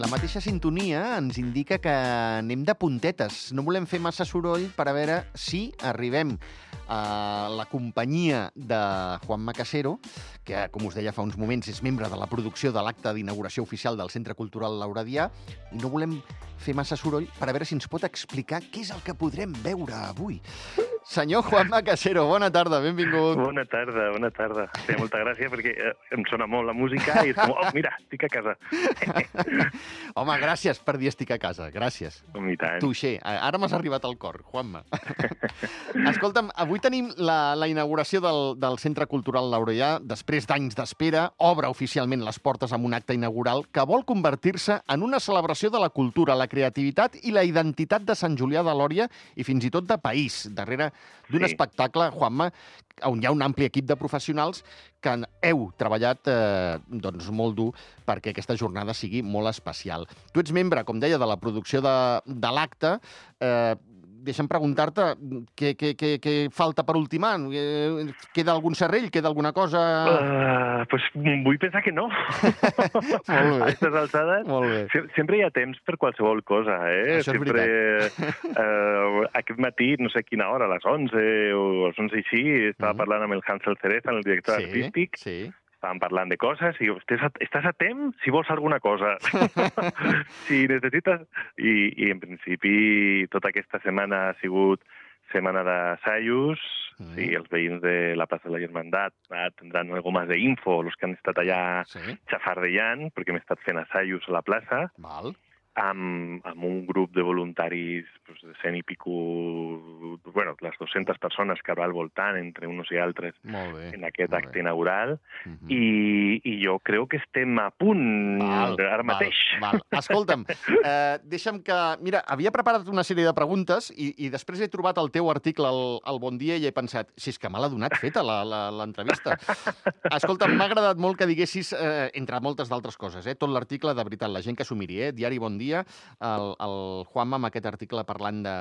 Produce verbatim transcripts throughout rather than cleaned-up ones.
La mateixa sintonia ens indica que anem de puntetes. No volem fer massa soroll per a veure si arribem a la companyia de Juanma Casero, que, com us deia fa uns moments, és membre de la producció de l'acte d'inauguració oficial del Centre Cultural Lauradià, i no volem fer massa soroll per a veure si ens pot explicar què és el que podrem veure avui. Senyor Juanma Casero, bona tarda, benvingut. Bona tarda, bona tarda. Té molta gràcia perquè eh, em sona molt la música i és com, oh, mira, estic a casa. Home, gràcies per dir estic a casa, gràcies. I tant. Tuixer, ara m'has arribat al cor, Juanma. Escolta'm, avui tenim la, la inauguració del, del Centre Cultural Lauradià. Després d'anys d'espera, obre oficialment les portes amb un acte inaugural que vol convertir-se en una celebració de la cultura, la creativitat i la identitat de Sant Julià de Lòria i fins i tot de país, darrere d'un Sí. espectacle, Juanma, on hi ha un ampli equip de professionals que heu treballat eh, doncs molt dur perquè aquesta jornada sigui molt especial. Tu ets membre, com deia, de la producció de, de l'acte. Eh, deixa'm preguntar-te què, què, què, què falta per ultimar. Eh, queda algun serrell? Queda alguna cosa? Uh, pues vull pensar que no. Molt bé. A aquestes alçades Molt bé. se- sempre hi ha temps per qualsevol cosa, eh? Això és sempre, uh, aquest matí, no sé a quina hora, a les onze o a les onze així, estava Mhm. parlant amb el Hansel Cereza, el director Sí, artístic, sí. estàvem parlant de coses i diu, estàs a, estàs a temps si vols alguna cosa. Si necessites... I, I en principi tota aquesta setmana ha sigut setmana d'assajos, Mm. sí, els veïns de la plaça de la Germandat ah, tindran algo més d'info, els que han estat allà Sí, xafardellant, perquè hem estat fent assajos a la plaça, val. amb, amb un grup de voluntaris pues, de cent i pico, bueno, les dues-centes persones que va al voltant, entre uns i altres, Molt bé. en aquest molt acte bé. inaugural, Mhm. i, i jo crec que estem a punt Val, ara mateix. Val, val. Escolta'm, eh, deixa'm que... Mira, havia preparat una sèrie de preguntes i, i després he trobat el teu article al, al Bon Dia i he pensat, si és que me l'ha donat feta la- la- l'entrevista. Escolta'm, m'ha agradat molt que diguessis, eh, entre moltes d'altres coses, eh, tot l'article, de veritat, la gent que s'ho miri, eh, Diari Bon Dia, el, el Juanma amb aquest article parlant de,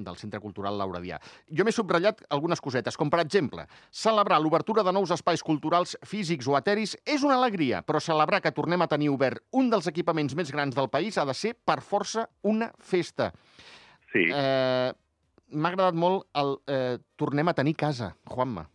del Centre Cultural Lauradià. Jo m'he subratllat algunes cosetes, com per exemple, celebrar l'obertura de nous espais culturals físics o eteris és una alegria, però celebrar que tornem a tenir obert un dels equipaments més grans del país ha de ser, per força, una festa. Sí. Eh, M'ha agradat molt el eh, tornem a tenir casa, Juanma.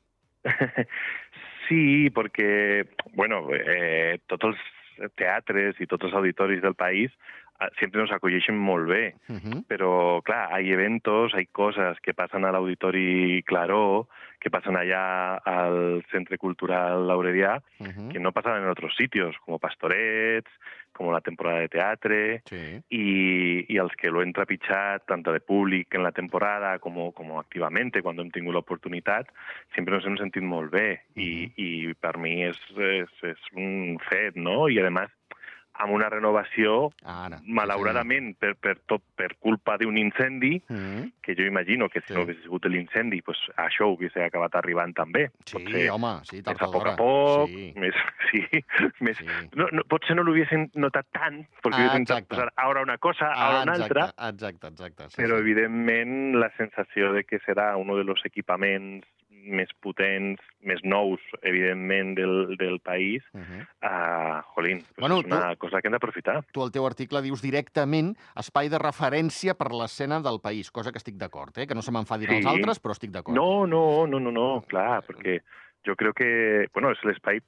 Sí, perquè, bueno, eh, tots els teatres i tots els auditoris del país eh, sempre nos acolleixen molt bé. Uh -huh. Pero, claro, hay eventos, hay cosas que pasan al Auditori Claró, que pasan allá al Centre Cultural Lauradià, Uh -huh. que no pasan en otros sitios, como Pastorets, como la temporada de teatre, Sí. y, y als que lo hem trepitjat, tanto de públic en la temporada como, como activamente, quan hem tingut l'oportunitat, sempre ens hem sentit molt bé. I, i per mi és, és, és un fet, no? I, a més, amb una renovació, Ara. malauradament, per, per, tot, per culpa d'un incendi, Uh -huh. que jo imagino que si Sí. no hagués sigut l'incendi, pues, això hauria acabat arribant també. Sí, Potser home, sí, més tard a o poc d'hora. a poc, Sí. més, sí, més, Sí. no, no, potser no l'haguessin notat tant, perquè Ah, haguessin exacte. posar ara una cosa, Ah, ara una exacte, altra, exacte, exacte. Sí, però sí. evidentment la sensació de que serà un dels equipaments més potents, més nous, evidentment, del, del país, Uh -huh. uh, jolín, pues Bueno, és una cosa que hem d'aprofitar. Tu al teu article dius directament espai de referència per l'escena del país, cosa que estic d'acord, eh? Que no se m'enfadin Sí. els altres, però estic d'acord. No, no, no, no, no, clar, perquè jo crec que, bueno, és l'espai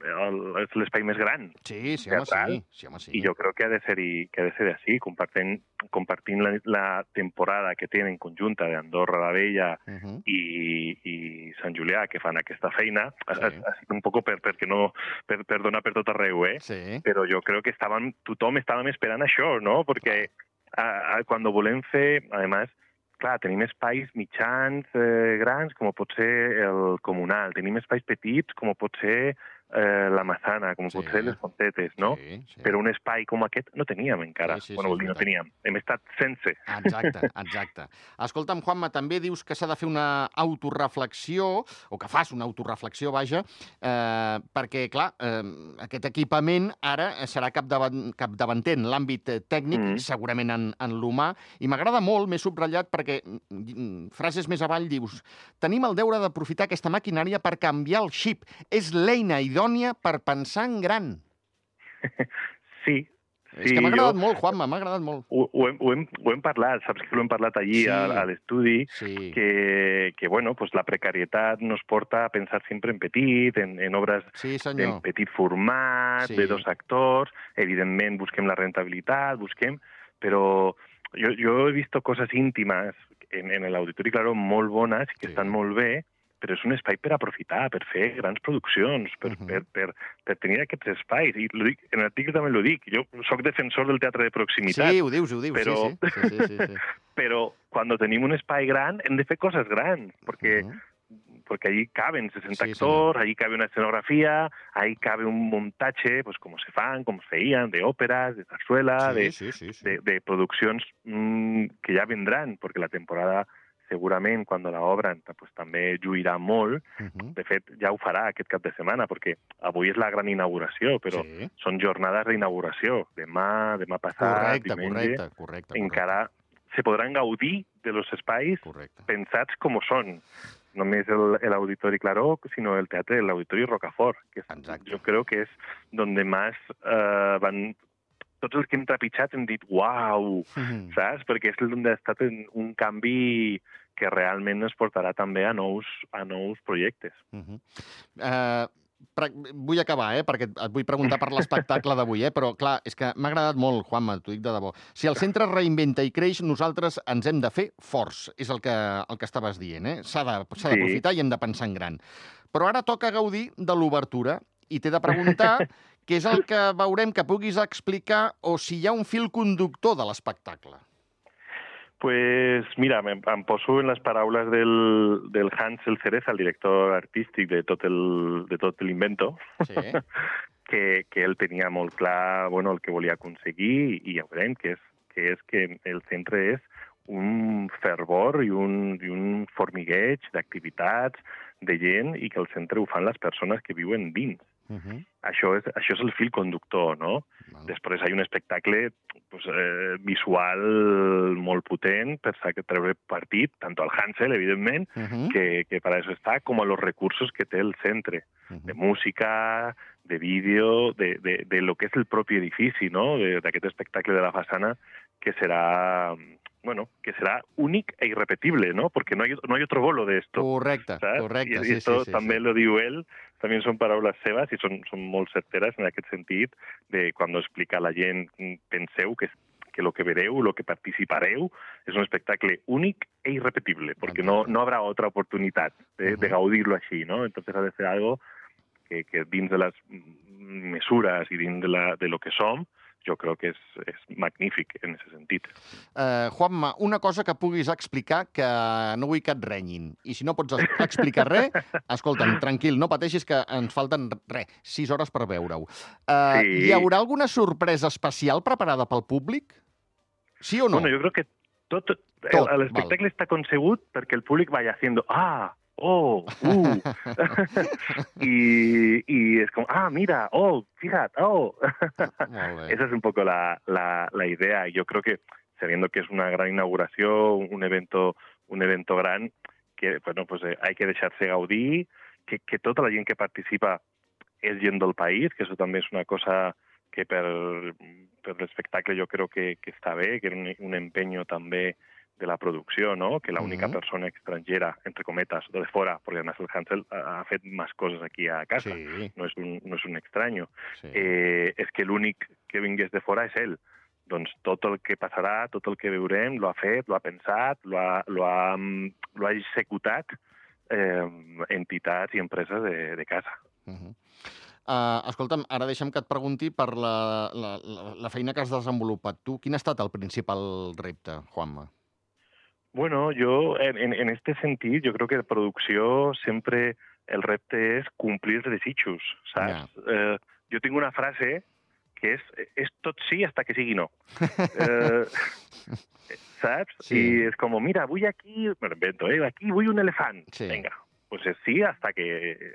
el- és l'espai més gran, Sí, sí, home, teatral, sí. sí, home, sí. i jo crec que ha de ser-hi, que ha de ser així, compartint, compartint la, la temporada que tenen conjunta d'Andorra la Vella Uh -huh. i, i Sant Julià, que fan aquesta feina, Sí. ha, ha sigut un poc per, perquè no, per, per donar per tot arreu, eh? Sí. Però jo crec que estaven, tothom estàvem esperant això, no? Perquè a, a, quan volem fer, a més, clar, tenim espais mitjans, eh, grans, com pot ser el comunal, tenim espais petits, com pot ser eh, la Massana, com Sí. pot ser les Fontetes, no? Sí, sí. Però un espai com aquest no teníem encara. Sí, sí, bueno, sí, vol dir, no és veritat. teníem. Hem estat sense. Exacte, exacte. Escolta'm, Juanma, també dius que s'ha de fer una autorreflexió, o que fas una autorreflexió, vaja, eh, perquè, clar, eh, aquest equipament ara serà capdavant, capdavanter en l'àmbit eh, tècnic, Mm. segurament en, en l'humà, i m'agrada molt, m'he subratllat, perquè mm, frases més avall dius tenim el deure d'aprofitar aquesta maquinària per canviar el xip. És l'eina idònia per pensar en gran. Sí, És sí, que m'ha agradat jo... molt, Juanma, m'ha agradat molt. Ho, ho, hem, ho, hem, ho hem parlat, saps que ho hem parlat allí sí, a, a l'estudi, sí. que, que bueno, pues la precarietat nos porta a pensar sempre en petit, en, en obres sí, en petit format, sí. de dos actors, evidentment busquem la rentabilitat, busquem... Però jo, jo he vist coses íntimes en, en l'Auditori Claró molt bones, que sí. estan molt bé, però és un espai per aprofitar, per fer grans produccions, per, uh -huh. per, per, per tenir aquests espais. I lo dic, en l'article també ho dic, jo sóc defensor del teatre de proximitat. Sí, ho dius, ho dius, però... sí, sí. sí, sí, sí. Però quan tenim un espai gran hem de fer coses grans, perquè, uh -huh. porque allí caben sesenta sí, actors, sí. allí cabe una escenografía, ahí cabe un montaje, pues como se fan, como se feien, de òperes, de zarzuela, sí, de, sí, sí, sí. de, de produccions mmm, que ja vendran, perquè la temporada segurament, quan la obren, pues, també lluirà molt. Uh-huh. De fet, ja ho farà aquest cap de setmana, perquè avui és la gran inauguració, però sí. són jornades d'inauguració. Demà, demà passat, correcte, diumenge, correcte, correcte, encara correcte. Se podran gaudir de los espais correcte. Pensats com són. Només l'Auditori Claró, sinó el teatre de l'Auditori Rocafort, que és, jo crec que és donde més eh, van... Tots els que hem trepitjat hem dit uau, mm-hmm. saps? Perquè és on ha estat un canvi que realment ens portarà també a nous, a nous projectes. Mm-hmm. uh, vull acabar, eh? Perquè et vull preguntar per l'espectacle d'avui, eh? Però, clar, és que m'ha agradat molt, Juanma, t'ho dic de debò. Si el centre reinventa i creix, nosaltres ens hem de fer forts, és el que, el que estaves dient, eh? S'ha d'aprofitar sí. i hem de pensar en gran. Però ara toca gaudir de l'obertura i t'he de preguntar què és el que veurem que puguis explicar o si hi ha un fil conductor de l'espectacle. Pues mira, em, em poso en les paraules del, del Hansel Cereza, el director artístic de tot el, de tot l'Invento, sí. que, que ell tenia molt clar bueno, el que volia aconseguir i ja veurem que és, que és que el centre és un fervor i un, i un formigueig d'activitats, de gent, i que el centre ho fan les persones que viuen dins. Uh-huh. Això, és, això és el fil conductor, no? Vale. Després hi ha un espectacle pues, eh, visual molt potent per treure partit, tant al Hansel, evidentment, uh-huh. que, que per això està, com a los recursos que té el centre, uh-huh. de música, de vídeo, de, de, de lo que és el propi edifici, no? D'aquest espectacle de la façana, que serà... bueno, que será únic e irrepetible, ¿no? Porque no hay, no hay otro bolo de esto. Correcte, ¿sabes? correcte. I, sí, i esto sí, sí, també sí. lo diu ell, també són paraules seves i són, són molt certeres en aquest sentit, de quan explica a la gent, penseu que, que lo que vereu, lo que participareu, és un espectacle únic e irrepetible, perquè no, no habrá otra oportunitat de, uh-huh. de gaudir-lo així, ¿no? Entonces ha de ser algo que, que dins de les mesures i dins de, la, de lo que som, jo crec que és, és magnífic en aquest sentit. Uh, Juanma, una cosa que puguis explicar que no vull que et renyin. I si no pots explicar res, escolta'm, tranquil, no pateixis que ens falten res, sis hores per veure-ho. Uh, sí. Hi haurà alguna sorpresa especial preparada pel públic? Sí o no? Bueno, jo crec que tot, tot l'espectacle està concebut perquè el públic vaya haciendo ah, oh, uh. y, y es como, ah, mira, oh, fíjate, oh. Esa es un poco la, la, la idea. Yo creo que, sabiendo que es una gran inauguración, un evento, un evento gran, que, bueno, pues eh, hay que dejarse gaudir, que, que tota la gent que participa és gent del país, que eso també és una cosa que per, per l'espectacle jo crec que, que està bé, que era un, un empeño també de la producció, ¿no? Que la única uh-huh. persona estrangera, entre cometas, de fora, perquè además el Hansel ha fet més coses aquí a casa, sí. no, és un, no és un extraño, sí. eh, és que l'únic que vingués de fora és ell. Doncs tot el que passarà, tot el que veurem, lo ha fet, lo ha pensat, lo ha, lo ha, lo ha executat eh, entitats i empreses de, de casa. Uh-huh. Uh, escolta'm, ara deixa'm que et pregunti per la, la, la, la feina que has desenvolupat tu. Quin ha estat el principal repte, Juanma? Bueno, yo en, en este sentido, yo creo que de producció sempre el repte és complir els desitjos, saps? Yeah. Eh, jo tinc una frase que és, és tot sí hasta que sigui no. eh, saps? Sí. I és com, mira, vull aquí, me invento, eh? Aquí vull un elefant. Sí. Vinga, pues sí hasta que...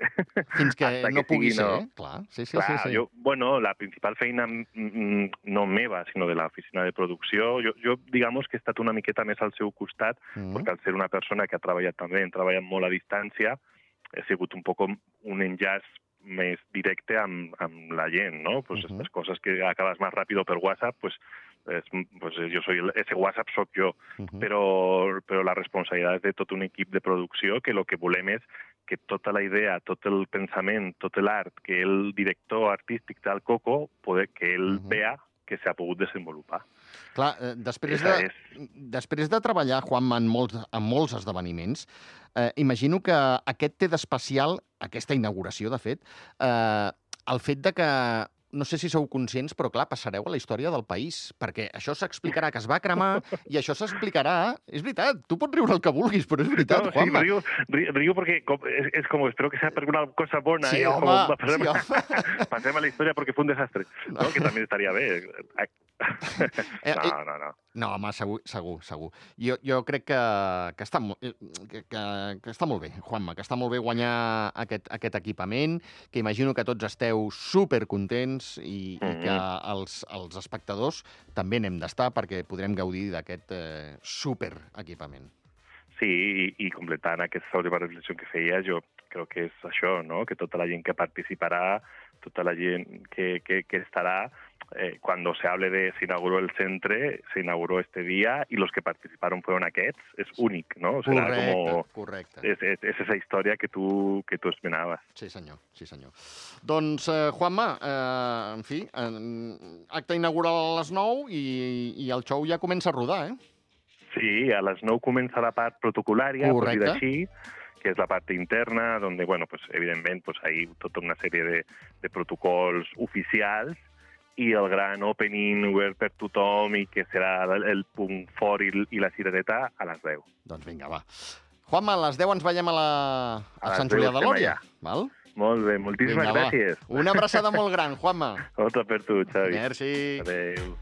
Fins que hasta no que pugui ser, no. eh? Clar, sí, sí, Clar, sí, sí. Jo, bueno, la principal feina mm, no meva, sinó de l'oficina de producció, jo, jo digamos que he estat una miqueta més al seu costat, mm. perquè al ser una persona que ha treballat també, hem treballat molt a distància, he sigut un poc un enllaç més directe amb, amb la gent, ¿no? Pues Uh-huh. estas cosas que acabas más rápido per WhatsApp, pues, es, pues yo soy el, ese WhatsApp soc jo, Uh-huh. però, però la responsabilitat és de tot un equip de producció que el que volem és que tota la idea, tot el pensament, tot l'art que el director artístic té al Coco, poder que ell Uh-huh. vea que s'ha pogut desenvolupar. Clar, eh, després, Esa de, és. després de treballar, Juanma, en molts, en molts esdeveniments, eh, imagino que aquest té d'especial, aquesta inauguració, de fet, eh, el fet de que, no sé si sou conscients, però clar, passareu a la història del país, perquè això s'explicarà que es va cremar i això s'explicarà... És veritat, tu pots riure el que vulguis, però és veritat, No, sí, Juanma. río, río, río porque com, es, es como, espero que sea per una cosa bona. Sí, eh? home, Como, pasem, sí, home. Pasem a la història perquè fue un desastre, no? Que també estaria bé. Eh, No, no, no. No, home, segur, segur, segur. Jo, jo crec que, que, està, mo- eh, que, que, que està molt bé, Juanma, que està molt bé guanyar aquest, aquest equipament, que imagino que tots esteu supercontents i, i que els, els espectadors també n'hem d'estar perquè podrem gaudir d'aquest eh, superequipament. Sí, i, i completant aquesta última reflexió que feia, jo crec que és això, no? Que tota la gent que participarà, tota la gent que, que, que estarà, eh, cuando se hable de se inauguró el centre, se inauguró este día y los que participaron fueron aquests, és únic, no? Serà Correcte, como... correcte. És, és, és esa història que tu, que tu esmenaves. Sí, senyor, sí, senyor. Doncs, eh, Juanma, eh, en fi, eh, acte inaugural a les nou i, i el show ja comença a rodar, eh? Sí, a les nou comença la part protocolària, per dir Correcte. així, que és la part interna, donde, bueno, pues, evidentment, pues, hay tota una sèrie de, de protocols oficials i el gran opening obert per tothom i que serà el, el punt fort i, i la cirereta a les deu. Doncs vinga, va. Juanma, a les deu ens veiem a, la... a, A les Sant Julià deu de estem Lòria. allà. Val? Molt bé, moltíssimes Vinga, va. gràcies. Una abraçada molt gran, Juanma. Otra per tu, Xavi. Merci. Adéu.